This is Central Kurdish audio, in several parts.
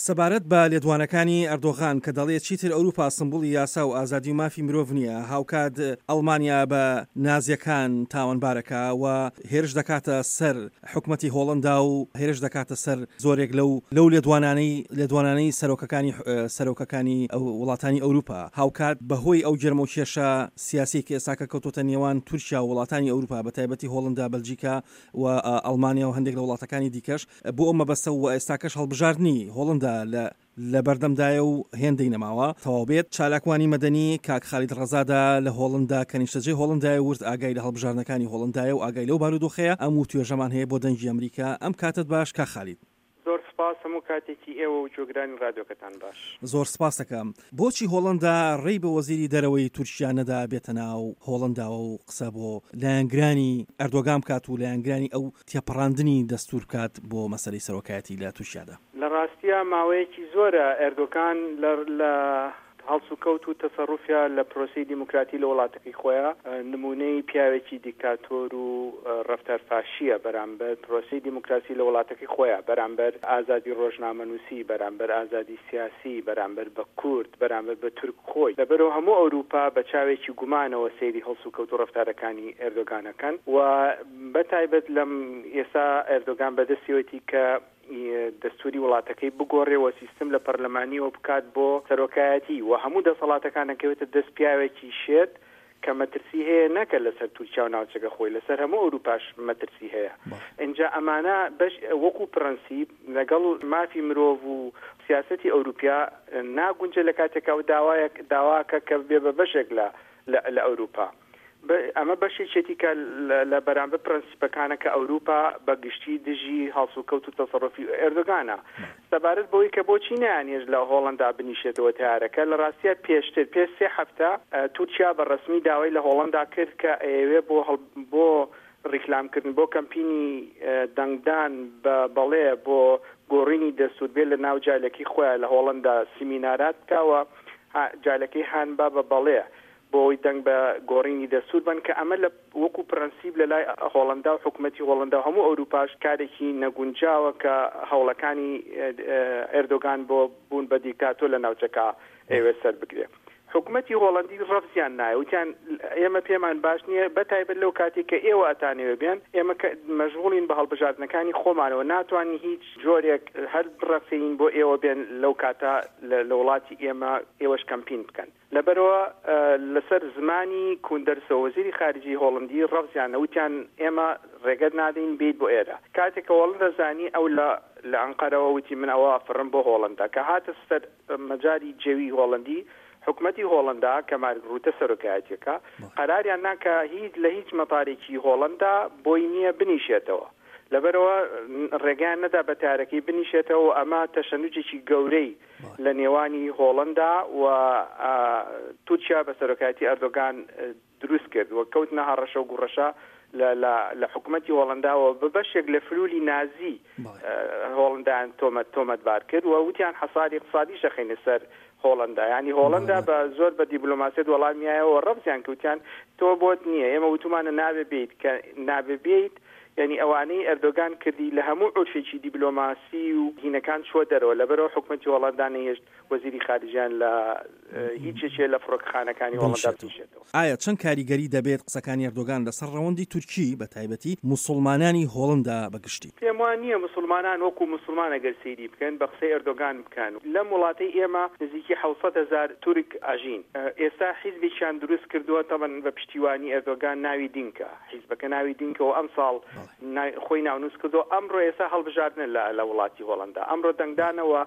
سەبارەت بە لێدوانەکانی ئەردۆغان کە دەڵێ چیتر ئەوروپا سمبوڵی یاسا و ئازادی و مافی مرۆڤ نییە، هاوکات ئەڵمانیا بە نازییەکان تاوانبارەکا و هێرش دەکاتە سەر حکومەتی هۆڵەندا و هێرش دەکاتە سەر زۆرێک لەو لەو لێدوانانەی لێدوانانەی سەرۆکەکانی سەرۆکەکانی وڵاتانی ئەوروپا. هاوکات بەهۆی ئەو گێرمەوکێشە سیاسیەی کە ئێستاکە کەوتۆتە نێوان تورکیا و وڵاتانی ئەوروپا بەتایبەتی هۆڵندا، بەلجیکا و ئەڵمانیا و هەندێک لە وڵاتەکانی دیکەش بۆ ئەو مەبەستە و ئێستاکەش هەڵبژاردنی هۆڵندا لە لەبەردەمدایە و هێندەی نەماوە تەواو بێت. چالاکوانی مەدەنی کاک خالید ڕەزادە لە هۆڵندا کە نیشتەجێی هۆڵندایە ورد ئاگای لە هەڵبژاردنەکانی هۆڵندایە و ئاگای لەو بارودۆخەیە ئەم وتوێژەمان هەیە بۆ دەنگی ئەمریکا. ئەم کاتەت باش کاک خالید. زۆر سپاس هەموو کاتێکی ئێوە و گوێگرانی ڕادیۆکەتان باش. زۆر سپاستەکەم. بۆچی هۆڵەندا ڕێی بە وەزیری دەرەوەی تورکیا نەدا بێتە ناو هۆڵەنداوە و قسە بۆ لایەنگرانی ئەردۆگان بکات و لایەنگرانی ئەو تێپەڕاندنی دەستور بکات بۆ مەسەلەی سەرۆکایەتی لە تورکیادا؟ لە ڕاستیا ماوەیەکی زۆرە ئێردۆگان لە لە هەڵسوکەوت و تەسەروفیا لە پرۆسەی دیموکراتی لە وڵاتەکەی خۆیا نموونەی پیاوێکی دیکتاتۆر و ڕەفتار فاشییە بەرامبەر پرۆسەی دیموکراسی لە وڵاتەکەی خۆیا، بەرامبەر ئازادی ڕۆژنامەنووسی، بەرامبەر ئازادی سیاسی، بەرامبەر بە کورد، بەرامبەر بە تورک خۆی. لەبەرئەوە هەموو ئەوروپا بە چاوێکی گومانەوە سەیری هەڵسوکەوت و ڕەفتارەکانی ئێردۆگان ئەکەن و بە تایبەت لەم ئێستا ئێردۆگان بەدەستیەوەتی کە دەستوری وڵاتەکەی بگۆڕێ و سیستم لە پەرلەمانیەوە بکات بۆ سەرۆکایەتی و هەموو دەسەڵاتەکان ئەکەوێتە دەست پیاوێکی شێت کە مەترسی هەیە نەکە لەسەر تورکیا و ناوچەکە خۆی لەسەر هەموو ئەوروپاش مەترسی هەیە ئینجا ئەمانە بەش وەکو پرەنسیپ لەگەڵ مافی مرۆڤ و سیاسەتی ئەوروپیا ناگونجێ لە کاتێکا و داوایەک داواکە کە ببێ بە بەشێک لە لە ئەوروپا. ئەمە بەشێکیەتی کە لە بەرامبەر پرەنسیپەکانە کە ئەوروپا بە گشتی دژی هەڵسوکەوت و تەسەروفی ئێردۆگانە. سەبارەت بەوەی کە بۆچی نەیانهێشت لە هۆڵەندا بنیشێتەوە تەیارەکە، لە ڕاستیا پێشتر پێش سێ هەفتە تورکیا بە ڕەسمی داوای لە هۆڵەندا کرد کە ئەیەوێ بۆ بۆ ڕیکلام کردن بۆ کەمپینی دەنگدان بە بەڵێ بۆ گۆڕینی دەستور بێ لە ناو جالەکەی خۆیان لە هۆڵەندا سیمینارات بکا و جالەکەی هان با بە بەڵێ بۆ ئەوەی دەنگ بە گۆڕینی دەستوور بەن کە ئەمە لە وەکو پرەنسیپ لە لای هۆڵەندا و حکومەتی هۆڵەندا و هەموو ئەوروپاش کارێکی نەگونجاوە کە هەوڵەکانی ئێردۆگان بۆ بوون بە دیکتاتۆر لە ناوچەکە ئەیەوێت سەر بگرێ. حکومەتی هۆڵەندی ڕەفزیان نایە وتیان ئێمە پێمان باش نییە بە تایبەت لەو کاتێک کە ئێوە ئەتانەوێ بێن ئێمە کە مەشغوڵین بە هەڵبژاردنەکانی خۆمانەوە ناتوانین هیچ جۆرێک هەر بڕەخسێنین بۆ ئێوە بێن لەو کاتە لە وڵاتی ئێمە ئێوەش کەمپین بکەن. لەبەرئەوە لەسەر زمانی کوندەرسۆ وەزیری خارجیی هۆڵندی ڕەفزیان وتیان ئێمە ڕێگەت نادەین بێیت بۆ ئێرە. کاتێک کە هۆڵندا زانی ئەو لە لە ئەنقەرەوە وتی من ئەوە ئەفڕم بۆ هۆڵندا. کە هاتە سەر مەجالی جەوی هۆڵندی حکومەتی هۆڵندا کە مارک ڕوتە سەرۆکایەتیەکە قەراریان نا کە هیچ لە هیچ مەتارێکی هۆڵندا بۆی نییە بنیشێتەوە. لەبەرئەوە ڕێگەیان نەدا بە تارەکەی بنیشێتەوە و ئەمە تەشەنوجێکی گەورەی لە نێوانی هۆڵەندا و تورکیا بە سەرۆکایەتی ئەردۆگان دروست کرد و کەوتنە هەڕەشە و گوڕەشە لە لە لە حکومەتی هۆڵەندا و بە بەشێک لە فلولی نازی هۆڵەندایان تۆمەت تۆمەتبار کرد و وتیان حەساری ئیقتسادیش دەخەینە سەر هۆڵەندا یانی هۆڵەندا بە زۆر بە دیبلۆماسیەت وەڵامیایەوە ڕەفزیان کرد وتیان تۆ بۆت نییە ئێمە وتومانە نابێ بێیت کە نابێ بێیت یانی ئەوانەی ئەردۆگان کردی لە هەموو عورفێکی دیبلۆماسی و هینەکان چووە دەرەوە لەبەرئەوە حکومەتی هۆڵەندا نەیهێشت وەزیری خارجیان لە هیچ یەکێ لە فڕۆکەخانەکانی هۆڵەندا بنیشێتەوە. بنیشێتەوە. ئایا چەند کاریگەری دەبێت قسەکانی ئەردۆگان لەسەر ڕەوەندی تورکی بە تایبەتی موسوڵمانانی هۆڵندا بە گشتی؟ پێم وا نییە موسوڵمانان وەکو موسوڵمان ئەگەر سەیری بکەن بە قسەی ئەردۆگان بکەن لەم وڵاتەی ئێمە نزیکی 700 هەزار تورک ئەژین ئێستا حیزبێکیان دروست کردووە تەبەن بە پشتیوانی ئەردۆگان ناوی دینکە حیزبەکە ناوی دینکە و ئەمساڵ خۆی ناونووس کردووە ئەمڕۆ ئێستا هەڵبژاردنە لە لە وڵاتی هۆڵەندا ئەمڕۆ دەنگدانەوە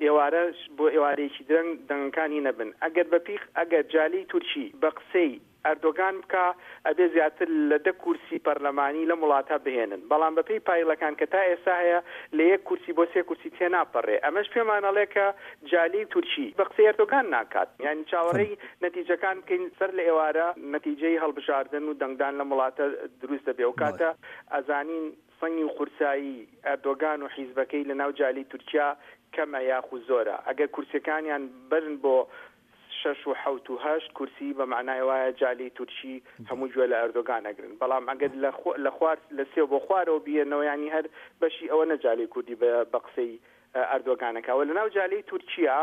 ئێوارە بۆ ئێوارەیەکی درەنگ دەنگەکان هی نەبن ئەگەر بە پیخ ئەگەر جالی تورکی بە قسەی ئەردۆگان بکا ئەبێ زیاتر لە دە کورسی پەرلەمانی لەم وڵاتە بهێنن بەڵام بە پێی پایڵەکان کە تا ئێستا هەیە لە یەک کورسی بۆ سێ کورسی تێناپەڕێ ئەمەش پێمان ئەڵێ کە جالی تورکی بە قسەی ئەردۆگان ناکات یانی چاوەڕێی نەتیجەکان بکەین سەر لە ئێوارە نەتیجەی هەڵبژاردن و دەنگدان لەم وڵاتە دروست دەبێ ئەوکاتە ئەزانین سەنگی و قورسایی ئەردۆگان و حیزبەکەی لە ناو جالی تورکیا کەمە یاخو زۆرە ئەگەر کورسیەکانیان بەرن بۆ شەش و حەوت و هەشت کورسی بە مەعنای وایە جالی تورکی هەموو گوێ لە ئەردۆگان ئەگرن بەڵام ئەگەر لە خوار لە سێ بۆ خوارەوە بیەنەوە یانی هەر بەشی ئەوە نە جالی کوردی بە قسەی. ئەردۆگان ئەکا وە لەناو جالەی تورکیا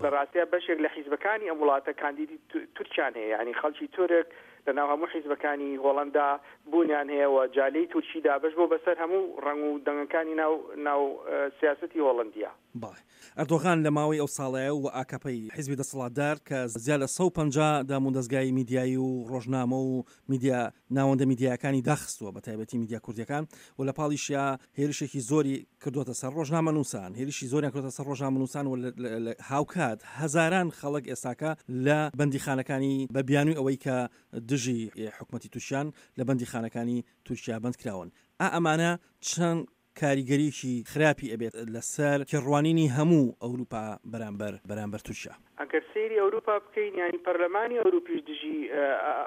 لە ڕاستیا بەشێک لە حیزبەکانی ئەم وڵاتە کاندیدی تورکیان هەیە یانی خەڵکی تورک لەناو هەموو حیزبەکانی هۆڵەندا بوونیان هەیە و جالەی تورکی دابەش بووە بەسەر هەموو ڕەنگ و دەنگەکانی ناو ناو سیاسەتی هۆڵەندیا. بەڵێ. ئەردۆغان لە ماوەی ئەو ساڵەیە و ئاکەپەی حیزبی دەسەڵاتدار کە زیاد لە 150 دامودەزگای میدیایی و ڕۆژنامە و میدیا ناوەندە میدیایەکانی داخستووە بە تایبەتی میدیا کوردیەکان و لە پاڵیشیا هێرشێکی زۆری کردووەتە سەر ڕۆژنامەنووسان هێرشی زۆریان کردووەتە سەر ڕۆژنامەنووسان و هاوکات هەزاران خەڵک ئێستاکە لە بەندیخانەکانی بە بیانووی ئەوەی کە دژی حکومەتی تورکیان لە بەندیخانەکانی تورکیا بەندکراون ئا ئەمانە چەند کاریگەریی خراپی ئەبێت لەسەر تێڕوانینی هەموو ئەوروپا بەرامبەر بەرامبەر تورکیا. ئەگەر سەیری ئەوروپا بکەین یانی پەرلەمانی ئەوروپیش دژی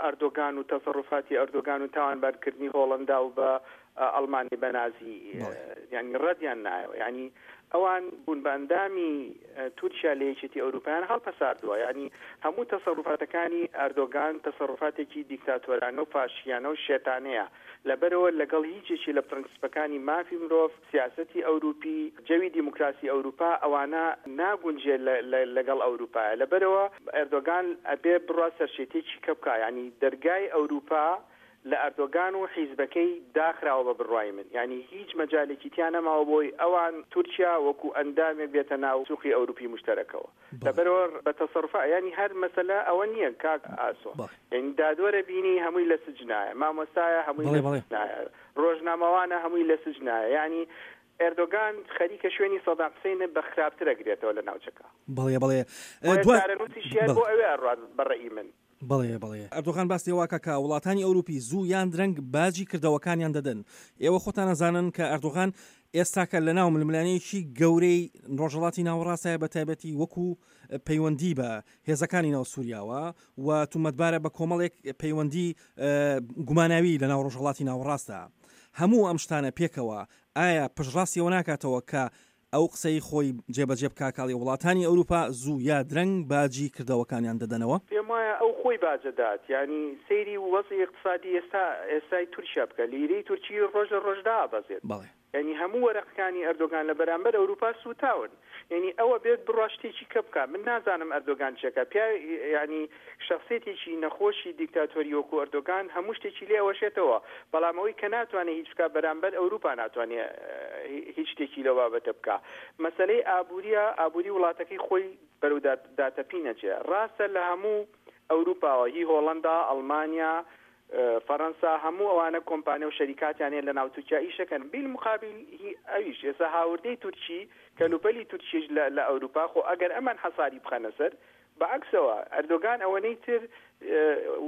ئەردۆگان و تەسەروفاتی ئەردۆگان و تاوانبارکردنی هۆڵەندا و بە ئەڵمانی بە نازی یانی ڕەدیان نایەوە یانی ئەوان بوون بە ئەندامی تورکیا لە یەکێتی ئەوروپایان هەڵپەساردووە یانی هەموو تەسەروفاتەکانی ئەردۆگان تەسەروفاتێکی دیکتاتۆرانە و فاشیانە و شێتانەیە لەبەرئەوە لەگەڵ هیچ یەکێ لە پرەنسیپەکانی مافی مرۆڤ، سیاسەتی ئەوروپی، جەوی دیموکراسی ئەوروپا ئەوانە ناگونجێ لەگەڵ ئەوروپایە. لەبەرئەوە ئەردۆگان ئەبێ بڕوا سەرشێتیەکی کە بکا. یانی دەرگای ئەوروپا لە ئەردۆگان و حیزبەکەی داخراوە بە بڕوای من. یانی هیچ مەجالێکی تیا نەماوە بۆی ئەوان تورکیا وەکو ئەندامێک بێتە ناو سوقی ئەوروپی موشتەرەکەوە. لەبەرئەوە بە تەسەروفا یانی هەر مەسەلە ئەوە نیە کاک ئاسۆ یانی دادوەرە بینی هەمووی لە سجنایە مامۆستایە هەمووی لە سجنایە ڕۆژنامەوانە هەمووی لە سجنایە یانی ئێردۆگان خەریکە شوێنی سەدام حسین بە خراپتر ئەگرێتەوە لە ناوچەکە. بەڵێ بەڵێ چارەنووسیشی هەر بۆ ئەوێ ئەڕوات بە ڕەئی من. بەڵێ بەڵێ ئەردۆغان باس لەوە ئەکا کە وڵاتانی ئەوروپی زوو یان درەنگ باجی کردەوەکانیان دەدەن. ئێوە خۆتان ئەزانن کە ئەردۆغان ئێستاکە لە ناو ململانێیەکی گەورەی ڕۆژهەڵاتی ناوەڕاستایە بە تایبەتی وەکو پەیوەندی بە هێزەکانی ناو سووریاوە و تومەتبارە بە کۆمەڵێک پەیوەندی گوماناوی لە ناو ڕۆژهەڵاتی ناوەڕاستدا. هەموو ئەم شتانە پێکەوە ئایا پشتڕاستی ئەوە ناکاتەوە کە ئەو قسەی خۆی جێبەجێ بکا کاڵی وڵاتانی ئەوروپا زوو یا درەنگ باجی کردەوەکانیان دەدەنەوە. پێم وایە ئەو خۆی باج ئەدات یانی سەیری وەزعی ئیقتسادی ئێستا ئێستای تورکیا بکە لیرەی تورکی ڕۆژ لە ڕۆژ دائەبەزێت بەڵێ. یانی هەموو وەرەقەکانی ئەردۆگان لە بەرامبەر ئەوروپا سووتاون یانی ئەو ئەبێت بڕوا شتێکی کە بکا من نازانم ئەردۆگان چێکا پیاوێ یانی شەخسیەتێکی نەخۆشی دیکتاتۆری وەکو ئەردۆگان هەموو شتێکی لێ ئەوەشێتەوە بەڵام ئەوەی کە ناتوانێ هیچ بکا بەرامبەر ئەوروپا ناتوانێ هیچ شتێکی لەو بابەتە بکا مەسەلەی ئابوریە ئابوری وڵاتەکەی خۆی بەرەو داتەپین ئەچێ ڕاستە لە هەموو ئەوروپاوە هی هۆڵەندا ئەڵمانیا فەرەنسا هەموو ئەوانە کۆمپانیا و شەریکاتیان هەیە لە ناو تورکیا ئیشەکەن بیل مقابل هی ئەویش ئێستا هاوردەی تورکی کەلوپەلی تورکیش لە ئەوروپا خۆ ئەگەر ئەمان حەساری بخەنە سەر بە عەکسەوە ئەردۆگان ئەوەنەی تر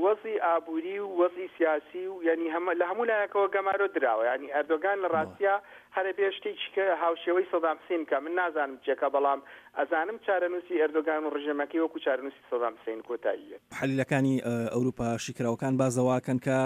وەزعی ئابووری و وەزعی سیاسی و یانی هەمە لە هەموو لایەکەوە گەمارۆ دراوە یانی ئەردۆگان لە ڕاستیا هەر ئەبێ شتێکی کە هاوشێوەی سەدام حسین بکا من نازانم چێکا بەڵام ئەزانم چارەنووسی ئەردۆگان و ڕژێمەکەی وەکوو چارەنووسی سەدام حسین کۆتایی یەت. محللەکانی ئەوروپا شیکراوەکان باس لەوە ئەکەن کە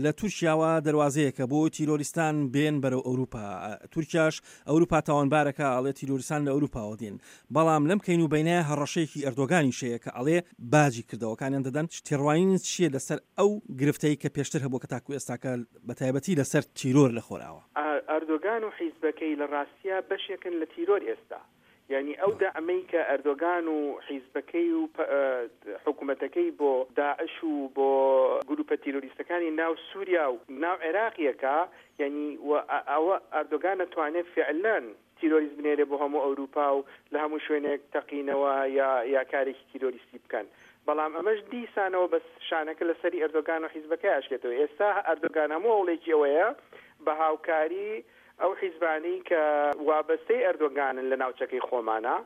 لە تورکیاوە دەروازەیەکە بۆ تیرۆریستان بێن بەرەو ئەوروپا تورکیاش ئەوروپا تاوانبارەکە ئەڵێ تیرۆریستان لە ئەوروپاوە دێن بەڵام لەم کەین و بەینە هەڕەشەیەکی ئەردۆگانیش هەیە کە ئەڵێ باجی کردەوەکانیان دەدەن، تێڕوانینت چییە لەسەر ئەو گرفتەی کە پێشتر هەبووە کە تاکو ئێستاکە بە تایبەتی لەسەر تیرۆر لە خۆرئاوا؟ ئەردۆگان و حیزبەکەی لە ڕاستیا بەشێکن لە تیرۆر ئێستا. یانی ئەو دەعمەی کە ئەردۆگان و حیزبەکەی و حکومەتەکەی بۆ داعش و بۆ گروپە تیرۆریستەکانی ناو سوریا و ناو عێراق یەکا یانی ئەوە ئەردۆگان ئەتوانێ فعلەن تیرۆریست بنێرێ بۆ هەموو ئەوروپا و لە هەموو شوێنێک تەقینەوە یا یا کارێکی تیرۆریستی بکەن بەڵام ئەمەش دیسانەوە بەس شانەکە لە سەری ئەردۆگان و حیزبەکەی ئەشکێتەوە ئێستا ئەردۆگان هەموو هەوڵێکی ئەوەیە بە هاوکاری ئەو حیزبانەی کە وابەستەی ئەردۆگانن لە ناوچەکەی خۆمانا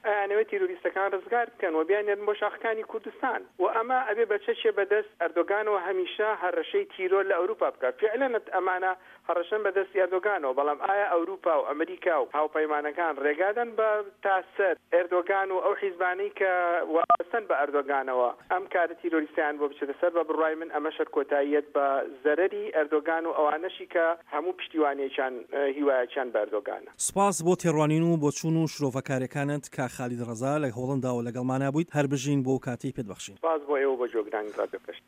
ئەیانەوێت تیرۆریستەکان ڕزگار بکەن و بیاننێرن بۆ شاخەکانی کوردستان و ئەمە ئەبێ بە چەکێ بەدەست ئەردۆگانەوە هەمیشە هەڕەشەی تیرۆر لە ئەوروپا بکات فیعلەن ئەمانە هەڕەشەن بە دەستی ئەردۆگانەوە، بەڵام ئایا ئەوروپا و ئەمریکا و هاوپەیمانەکان ڕێگادەن بە تا سەر ئێردۆگان و ئەو حیزبانەی کە وابەستەن بە ئەردۆگانەوە ئەم کارە تیرۆریستەیان بۆ بچێتە سەر؟ بە بڕوای من ئەمەش هەر کۆتاییەت بە زەرەری ئەردۆگان و ئەوانەشی کە هەموو پشتیوانیەکیان هیوایەکیان بە ئەردۆگانە. سوپاس بۆ تێڕوانین و بۆچوون و شرۆڤەکاریەکانت کاک خالید ڕەزا لە هۆڵەنداوە لەگەڵمانا بوویت هەر بژین بۆ کاتەی پێت بەخشین. سوپاس بۆ ئێوە و بۆ گوێگرانی ڕادیۆ کەشتی.